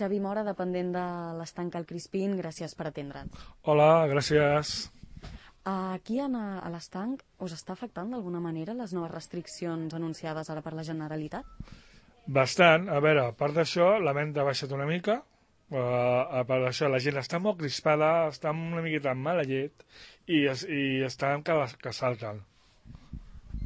Xavi Mora, dependent de l'estanc al Crispín, gràcies per atendre'ns. Hola, gràcies. Aquí a l'estanc us està afectant d'alguna manera les noves restriccions anunciades ara per la Generalitat? Bastant. A veure, a part d'això, la venda ha baixat una mica. A part d'això, la gent està molt crispada, està una miqueta amb mala llet i estan que salten.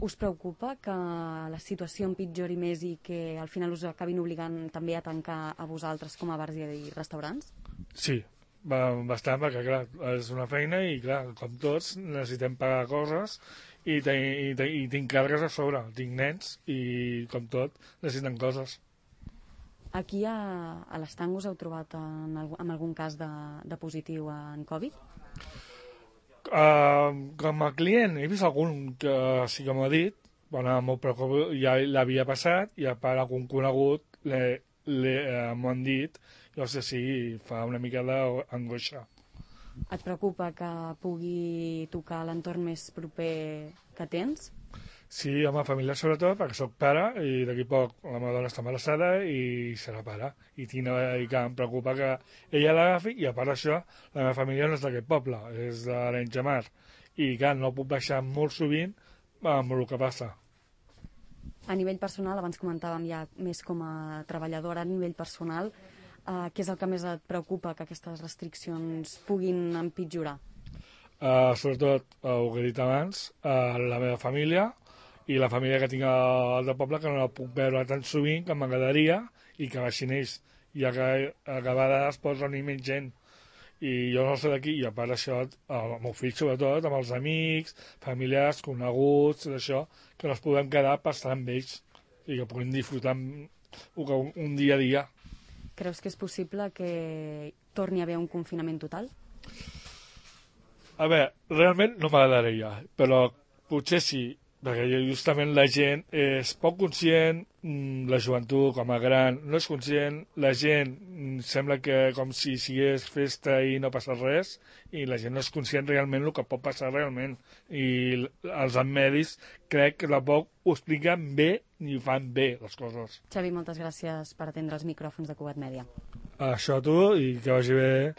Us preocupa que la situació empitjori més i que al final us acabin obligant també a tancar a vosaltres com a bars i restaurants? Sí, bastant, perquè clar, és una feina i clar, com tots necessitem pagar coses i tinc càrregues a sobre, tinc nens i com tot necessiten coses. Aquí a l'estanc us heu trobat amb algun cas de positiu en Covid? Com a client he vist algun que sí que m'ho ha dit, bueno, m'ho preocupo, ja l'havia passat i a part algun conegut m'ho han dit, no sé si fa una mica d'angoixa. Et preocupa que pugui tocar l'entorn més proper que tens? Sí, home, família sobretot, perquè sóc pare i d'aquí poc la meva dona està embarassada i serà pare. I que em preocupa que ella l'agafi i a part d'això la meva família no és d'aquest poble, és de l'Arenys de Mar. I clar, no puc baixar molt sovint amb el que passa. A nivell personal, abans comentàvem ja més com a treballadora, a nivell personal, què és el que més et preocupa que aquestes restriccions puguin empitjorar? Sobretot, el que he dit abans, la meva família i la família que tinc al del poble, que no la puc veure tan sovint com m'agradaria i que baixin ells, ja que a vegades pot reunir menys gent i jo no sé d'aquí, i a part d'això el meu fill sobretot, amb els amics, familiars, coneguts, d'això, que no es podem quedar per estar amb ells i que puguin disfrutar un dia a dia. Creus que és possible que torni a haver un confinament total? A veure, realment no m'agradaria, però potser sí, perquè justament la gent és poc conscient, la joventut com a gran no és conscient, la gent sembla que com si sigués festa i no passa res, i la gent no és conscient realment el que pot passar realment, i els medis crec que tampoc ho expliquen bé ni fan bé les coses. Xavi, moltes gràcies per atendre els micròfons de Cugat Mèdia. Això a tu i que vagi bé.